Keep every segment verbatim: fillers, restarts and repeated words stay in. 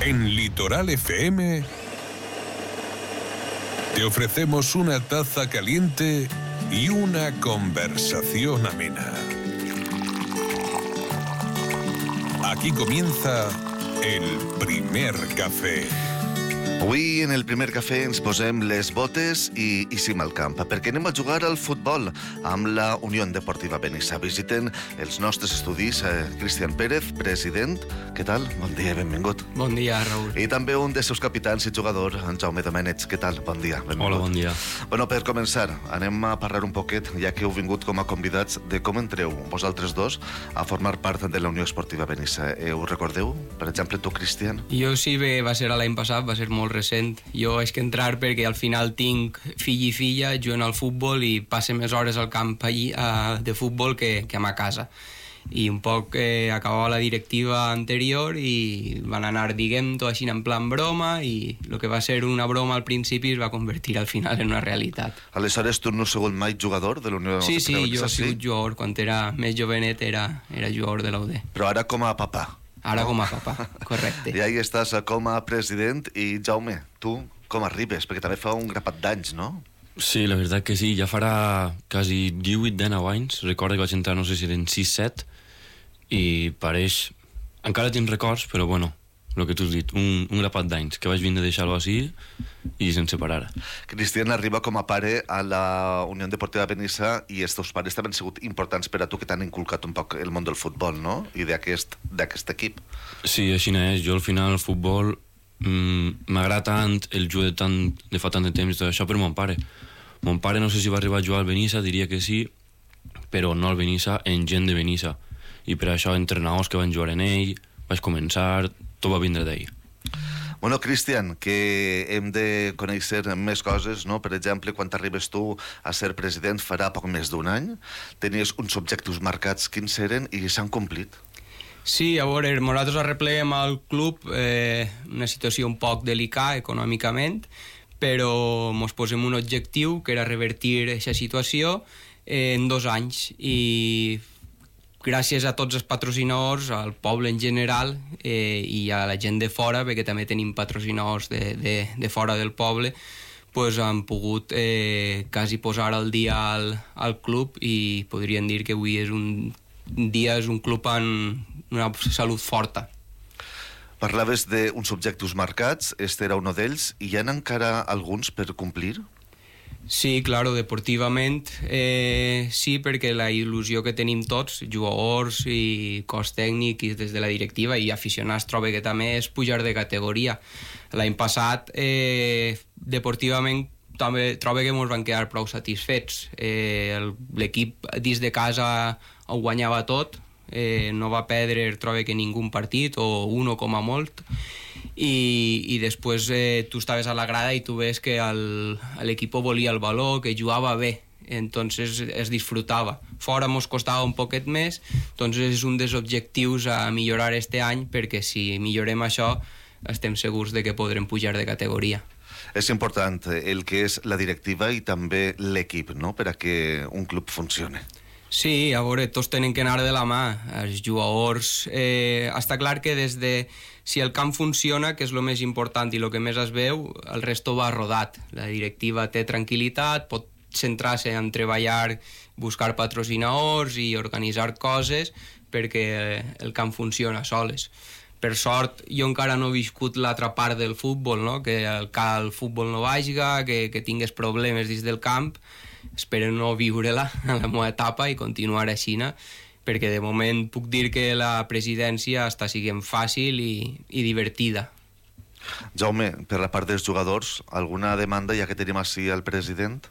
En Litoral F M te ofrecemos una taza caliente y una conversación amena. Aquí comienza el primer cafè. Avui, en el primer cafè, ens posem les botes i, i sim al camp, perquè anem a jugar al futbol amb la Unió Deportiva Benissa. Visiten els nostres estudis eh, Cristian Pérez, president. Què tal? Bon dia, benvingut. Bon dia, Raül. I també un dels seus capitans i jugador, en Jaume Domènech. Què tal? Bon dia, benvingut. Hola, bon dia. Bueno, per començar, anem a parlar un poquet, ja que heu vingut com a convidats, de com entreu vosaltres dos a formar part de la Unió Esportiva Benissa. Eh, ho recordeu? Per exemple, tu, Cristian? Jo sí, bé, va ser l'any passat, va ser molt recent. Jo és que entrar perquè al final tinc fill i filla, juguen al futbol i passe més hores al camp allí, uh, de futbol que, que a ma casa. I un poc eh, acabava la directiva anterior i van anar, diguem-ho així en plan broma, i el que va ser una broma al principi es va convertir al final en una realitat. Aleshores, tu no has sigut mai jugador de la Unió Sí, sí, Esportiva Benissa? jo he sigut jugador. Quan era més jovenet era, era jugador de l'U D. Però ara com a papà. Ara no? com a papà, correcte. I ahí estàs com a president. I Jaume, tu com arribes? Perquè també fa un grapat d'anys, no? Sí, la veritat que sí, ja farà quasi divuit dinou anys. Recordo que vaig entrar, no sé si eren sis set, i pareix... Encara tinc records, però bueno, el que tu has dit, un, un grapat d'anys, que vaig vindre a deixar-lo així i sense parar. Cristian arriba com a pare a la Unió Deportiva Benissa i els teus pares també han sigut importants per a tu, que t'han inculcat un poc el món del futbol, no? I d'aquest, d'aquest equip. Sí, així és. Jo al final el futbol mmm, m'agrada tant, el jugo de, tant, de fa tant de temps i tot això per mon pare. Mon pare no sé si va arribar a jugar al Benissa, diria que sí, però no al Benissa, en gent de Benissa. I per això entrenadors que van jugar en ell, vaig començar, tot va vindre d'ell. Bueno, Cristian, que hem de conèixer més coses, no? Per exemple, quan arribes tu a ser president farà poc més d'un any, tenies uns objectius marcats, quins eren, i s'han complit? Sí, a veure, nosaltres arrepleguem al club eh, una situació un poc delicada econòmicament, però ens posem un objectiu que era revertir aquesta situació eh, en dos anys, i gràcies a tots els patrocinadors, al poble en general eh, i a la gent de fora, perquè també tenim patrocinadors de, de, de fora del poble, pues han pogut eh, quasi posar al dia al, al club, i podrien dir que avui és un dia, és un club en una salut forta. Parlaves d'uns objectius marcats, este era un d'ells, i hi ha encara alguns per complir? Sí, claro, deportivament eh, sí, perquè la il·lusió que tenim tots, jugadors i cos tècnic i des de la directiva i aficionats, trobo que també és pujar de categoria. L'any passat eh, deportivament també trobo que ens van quedar prou satisfets. Eh, l'equip dins de casa ho guanyava tot, eh, no va perdre, trobo que ningú partit, o uno com a molt, i, i després eh, tu estaves a la grada i tu ves que l'equip volia el valor, que jugava bé, entonces es disfrutava. Fora mos costava un poquet més, entonces és un dels objectius a millorar este any, perquè si millorem això estem segurs de que podrem pujar de categoria. És important el que és la directiva i també l'equip, no?, per a que un club funcioni. Sí, a veure, tots tenen que anar de la mà. Els jugadors... Eh, està clar que des de... Si el camp funciona, que és el més important i el que més es veu, el resto va rodat. La directiva té tranquil·litat, pot centrar-se en treballar, buscar patrocinadors i organitzar coses perquè el camp funciona soles. Per sort, jo encara no he viscut l'altra part del futbol, no? Que el, el futbol no vaja, que, que tingués problemes dins del camp. Espero no viure-la en la meva etapa i continuar així, no? Perquè de moment puc dir que la presidència està sent fàcil i, i divertida. Jaume, per la part dels jugadors, alguna demanda ja que tenim així al president?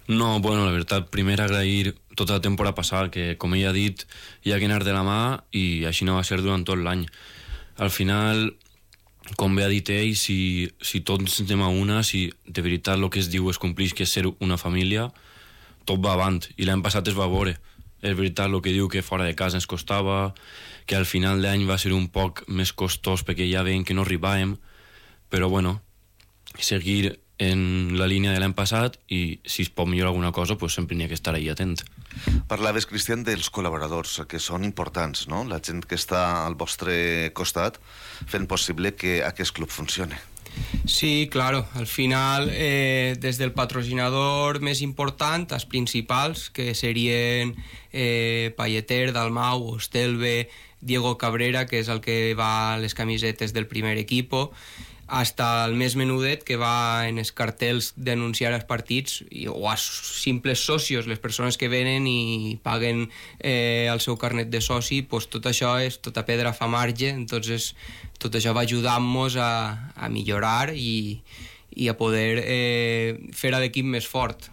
No, bueno, la veritat, primer agrair tota la temporada passada, que com ell ha dit, hi ha que anar de la mà, i així no va ser durant tot l'any. Al final, com bé ha dit ell, si, si tots anem a una, si de veritat el que es diu es complix, que és ser una família, tot va avant, i l'any passat es va veure. És veritat el que diu, que fora de casa ens costava, que al final d'any va ser un poc més costós perquè ja veiem que no arribàvem, però bueno, seguir en la línia de l'any passat, i si es pot millorar alguna cosa, pues sempre n'hi ha que estar ahí atent. Parlaves, Cristian, dels col·laboradors, que són importants, no? La gent que està al vostre costat fent possible que aquest club funcione. Sí, claro. Al final, eh, des del patrocinador més important, els principals, que serien eh, Palleter, Dalmau, Ostelve, Diego Cabrera, que és el que va a les camisetes del primer equipo, hasta el més menudet, que va en els cartells denunciar els partits, i, o a simples socios, les persones que venen i paguen eh, el seu carnet de soci, pues tot això és tota pedra fa marge, entonces tot això va ajudar-nos a, a millorar i, i a poder eh, fer a l'equip més fort.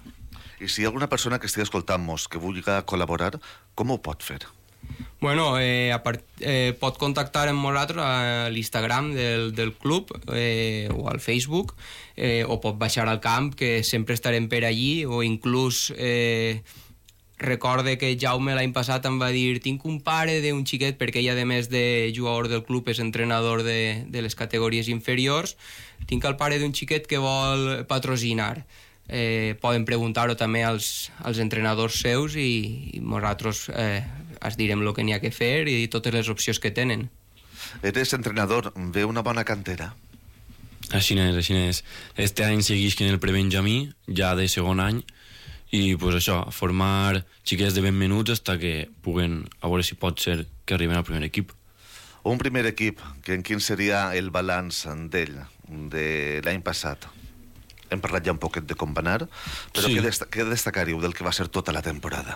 I si hi ha alguna persona que estigui escoltant-nos que vulgui col·laborar, com ho pot fer? Bueno, eh, a part, eh, pot contactar amb nosaltres a l'Instagram del, del club eh, o al Facebook, eh, o pot baixar al camp, que sempre estarem per allí, o inclús eh, recorde que Jaume l'any passat em va dir tinc un pare d'un xiquet, perquè ell, a més de jugador del club, és entrenador de, de les categories inferiors, tinc el pare d'un xiquet que vol patrocinar. Eh, poden preguntar-ho també als, als entrenadors seus i, i nosaltres eh, es direm el que n'hi ha que fer i totes les opcions que tenen. Eres entrenador, ve una bona cantera? Així és, així és. Este any segueix en el prebenjamí, ja de segon any, i pues això, formar xiquets de ben menuts fins que puguen, a veure si pot ser que arriben al primer equip. Un primer equip, que en quin seria el balanç d'ell, de l'any passat? Hem parlat ja un poquet de com va anar, però sí. què, desta què destacaríeu del que va ser tota la temporada?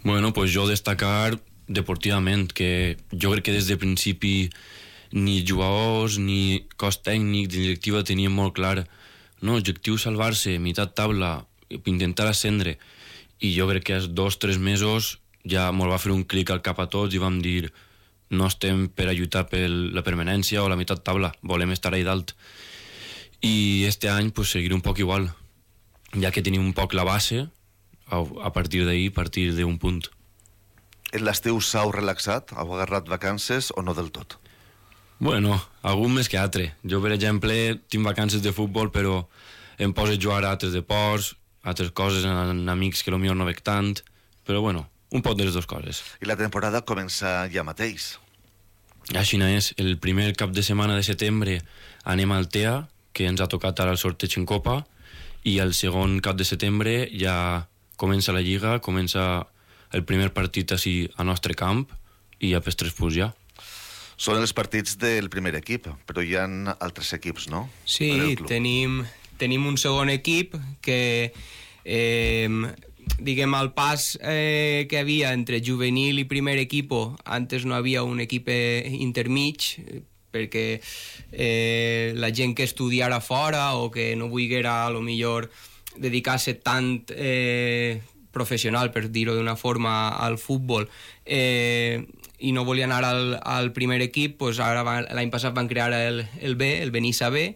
Bueno, pues jo destacar deportivament, que jo crec que des de principi ni jugadors, ni cos tècnic, ni directiva tenien molt clar, no, objectiu salvar-se, meitat taula, intentar ascendre, i jo crec que als dos o tres mesos ja mos va fer un clic al cap a tots i vam dir no estem per a lluitar per la permanència o la meitat taula, volem estar allà dalt. I este any pues, seguir un poc igual, ja que tenim un poc la base, a, a partir d'ahir, a partir d'un punt. En l'estiu s'heu relaxat? Heu agarrat vacances o no del tot? Bueno, algun més que altre. Jo, per exemple, tinc vacances de futbol, però em poso a jugar a altres deports, altres coses, amb amics que potser no veig tant, però bueno, un poc de les dues coses. I la temporada comença ja mateix? Així és. El primer cap de setmana de setembre anem al T E A, que ens ha tocat ara el sorteig en Copa, i el segon cap de setembre ja comença la Lliga, comença el primer partit així a nostre camp, i ja per tres punts ja. Són els partits del primer equip, però hi ha altres equips, no? Sí, tenim, tenim un segon equip que, eh, diguem, al pas eh, que havia entre juvenil i primer equip, antes no havia un equip intermig, perquè eh, la gent que estudiara fora o que no volguera a lo millor dedicar-se tant eh, professional, per dir-ho d'una forma, al futbol eh, i no volia anar al, al primer equip, pues ara l'any passat van crear el, el B, el Benissa B,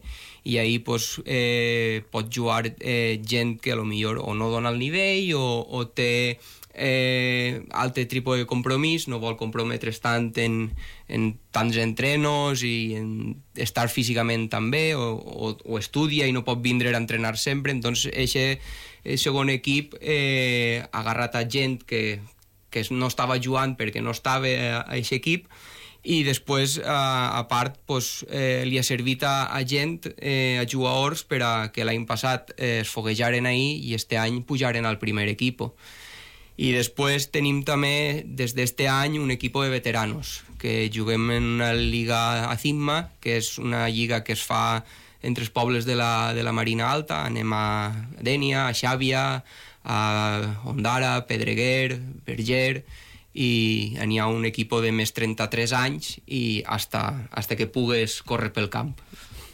i ahir pues, eh, pot jugar eh, gent que a lo millor o no dona el nivell o, o té eh, altre tipus de compromís, no vol comprometre's tant en, en tants entrenos i en estar físicament tan bé, o, o, o estudia i no pot vindre a entrenar sempre. Entonces, aquest segon equip eh, ha agarrat a gent que, que no estava jugant perquè no estava a aquest equip, i després, a, a part, pues, eh, li ha servit a, a gent, eh, a jugadors, per a que l'any passat eh, es foguejaren ahir i este any pujaren al primer equip. I després tenim també, des d'este any, un equip de veteranos, que juguem en una lliga ACIMA, que és una lliga que es fa entre els pobles de la, de la Marina Alta. Anem a Dénia, a Xàbia, a Ondara, Pedreguer, Berger, i n'hi ha un equip de més trenta-tres anys i hasta, hasta que pugues córrer pel camp.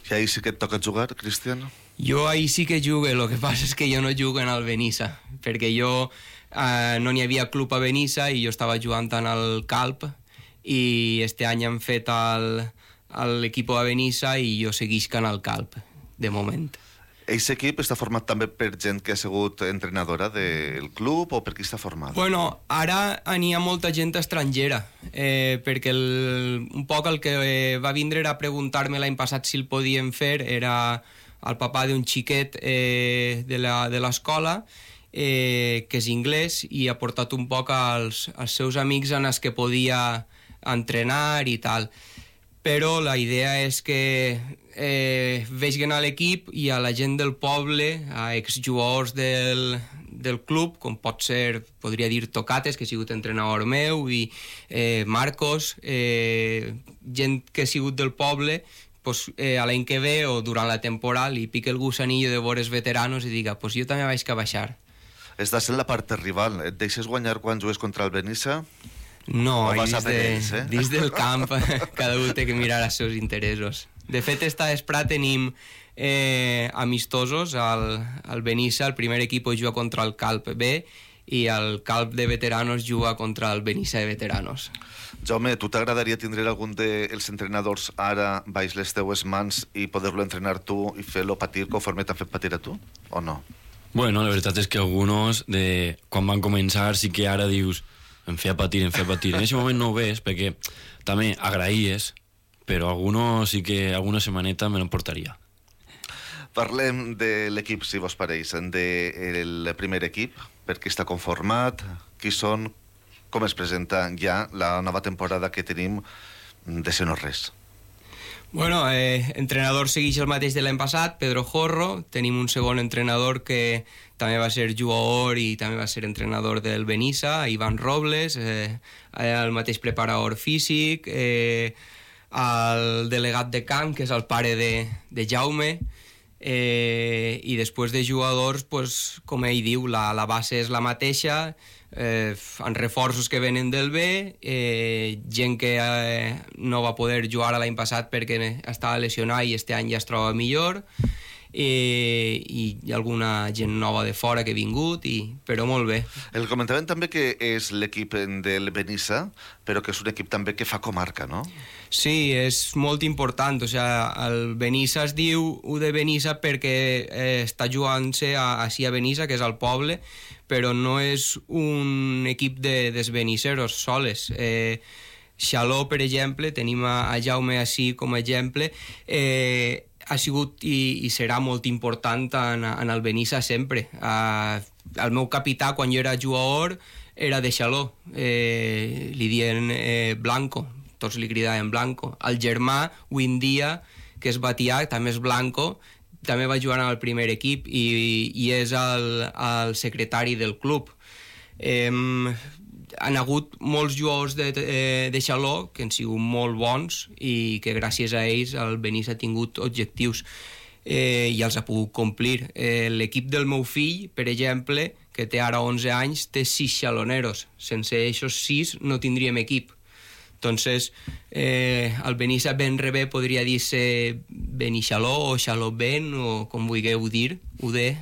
I ahir sí que et toca jugar, Cristian? Jo ahir sí que jugue, el que passa és que jo no jugo en el Benissa, perquè jo eh, no n'hi havia club a Benissa i jo estava jugant en el Calp, i este any han fet l'equip a Benissa i jo seguisc en el Calp, de moment. Aquest equip està format també per gent que ha sigut entrenadora del club, o per qui està format? Bueno, ara n'hi ha molta gent estrangera, eh, perquè el, un poc el que eh, va vindre a preguntar-me l'any passat si el podíem fer era el papà d'un xiquet eh, de l'escola, eh, que és inglès, i ha portat un poc als, als seus amics en els que podia entrenar i tal. Però la idea és que eh, vegin a l'equip i a la gent del poble, a exjugadors del, del club, com pot ser, podria dir Tocates, que ha sigut entrenador meu, i eh, Marcos, eh, gent que ha sigut del poble, pues, eh, a l'any que ve o durant la temporada li pica el gusanillo de veure veteranos i diga, pues jo també vaig que baixar. Estàs en la part rival. Et deixes guanyar quan jugues contra el Benissa? No, O vas dins, a per de, ells, eh? dins del camp cada un té que mirar els seus interessos. De fet, esta vespre tenim eh, amistosos. Al, al Benissa el primer equip juga contra el Calp B i el Calp de veteranos juga contra el Benissa de veteranos. Jaume, tu t'agradaria tindre algun dels entrenadors ara baix les teues mans i poder-lo entrenar tu i fer-lo patir conforme t'han fet patir a tu, o no? Bueno, la veritat és que alguns, de, quan van començar, sí que ara dius em feia patir, em feia patir. En aquest moment no ho ves, perquè també agraïes, però algunos sí que alguna setmaneta me l'emportaria. Parlem de l'equip, si vos pareix, del primer equip, per qui està conformat, qui són, com es presenta ja la nova temporada que tenim de ser no res. Bueno, eh, entrenador segueix el mateix de l'any passat, Pedro Jorro. Tenim un segon entrenador que també va ser jugador i també va ser entrenador del Benissa, Ivan Robles, eh, el mateix preparador físic, eh, el delegat de camp, que és el pare de, de Jaume, eh, i després de jugadors, pues, com ell diu, la, la base és la mateixa, eh, en reforços que venen del B, eh, gent que eh, no va poder jugar l'any passat perquè estava lesionat i este any ja es troba millor, eh, i alguna gent nova de fora que ha vingut, i, però molt bé. El comentaven també que és l'equip del Benissa, però que és un equip també que fa comarca, no? Sí, és molt important. O sea, el Benissa es diu U de Benissa perquè eh, està jugant-se a, així a Benissa, que és el poble, però no és un equip de, dels benisseros soles. Eh, Xaló, per exemple, tenim a, a Jaume així com a exemple, eh, ha sigut i, i serà molt important en, en el Benissa sempre. Uh, el meu capità, quan jo era jugador, era de Xaló. Eh, li diuen eh, Blanco, tots li cridaven Blanco. El germà, avui en dia, que és Batià, també és Blanco, també va jugar al primer equip i, i és el, el secretari del club. Eh, han hagut molts jugadors de, de, de Xaló que han sigut molt bons i que gràcies a ells el Benissa ha tingut objectius eh, i els ha pogut complir. Eh, l'equip del meu fill, per exemple, que té ara onze anys, té sis xaloneros. Sense aquests sis no tindríem equip. Entonces, eh, el Benissa ben rebé podria dir-se Benixaló o Xaló-Ben, o com vulgueu dir, U D,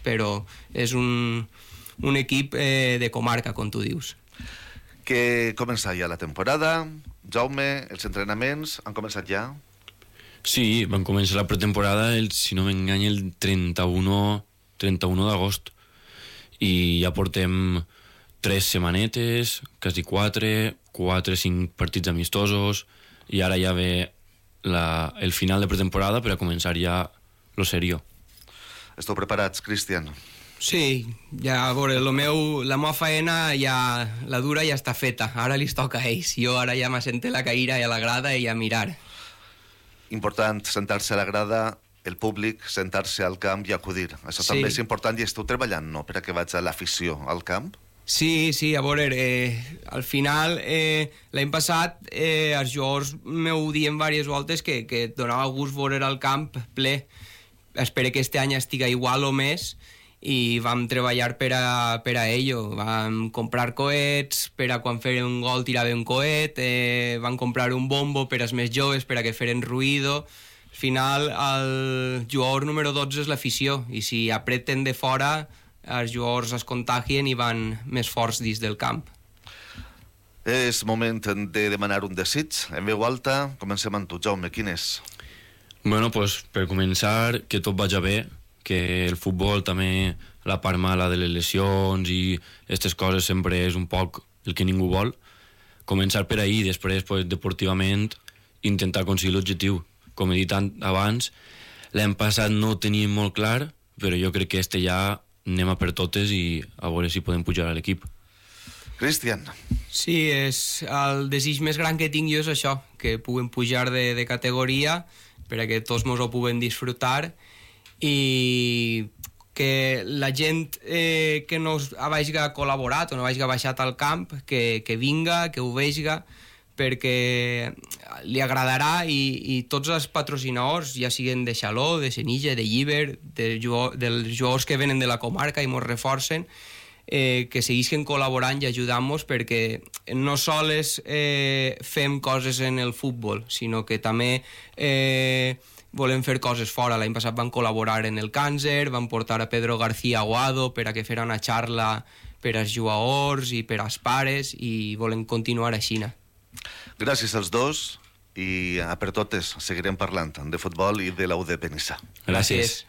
però és un, un equip eh, de comarca, com tu dius. Que comença ja la temporada. Jaume, els entrenaments han començat ja? Sí, van començar la pretemporada, el, si no m'engany, el trenta-u d'agost. I ja portem tres setmanetes, quasi quatre, quatre, cinc partits amistosos, i ara ja ve la, el final de pretemporada per a començar ja lo serio. Esteu preparats, Cristian? Sí, ja, a veure, lo meu, la meva faena ja, la dura ja està feta, ara li toca a ells. Jo ara ja m'assente la caïra i a la grada i a mirar. Important sentar-se a la grada, el públic, sentar-se al camp i acudir. Això Sí. també és important i esteu treballant, no?, per a que vaig a l'afició al camp. Sí, sí, a veure, eh, al final, eh, l'any passat, eh, els jugadors m'ho dient diverses voltes que, que donava gust veure el camp ple. Espero que este any estiga igual o més, i vam treballar per a, per a ello. Vam comprar coets per a quan feren un gol tirava un coet, eh, vam comprar un bombo per als més joves per a que feren ruïdo. Al final, el jugador número dotze és l'afició, i si apreten de fora, els jugadors es contagien i van més forts dins del camp. És moment de demanar un desig. En veu alta, comencem amb tu, Jaume. Quin és? Bueno, pues, per començar, que tot vagi bé, que el futbol també, la part mala de les lesions i aquestes coses sempre és un poc el que ningú vol. Començar per ahir, després, pues, deportivament, intentar aconseguir l'objectiu. Com he dit abans, l'any passat no ho teníem molt clar, però jo crec que este ja anem a per totes i a veure si podem pujar a l'equip. Cristian. Sí, és el desig més gran que tinc jo és això, que puguem pujar de, de categoria perquè tots mos ho puguem disfrutar i que la gent eh, que no hagi col·laborat o no hagi baixat al camp, que, que vinga, que ho veiga, perquè li agradarà i, i tots els patrocinadors, ja siguen de Xaló, de Senija, de Llíber, de jugador, dels jugadors que venen de la comarca i mos reforcen, eh, que seguisquen col·laborant i ajudant-nos perquè no sols eh, fem coses en el futbol, sinó que també eh, volem fer coses fora. L'any passat van col·laborar en el càncer, van portar a Pedro García Aguado per a que fera una xarra per als jugadors i per als pares i volem continuar així. Gràcies als dos i a per totes seguirem parlant de futbol i de la U de Benissa. Gràcies.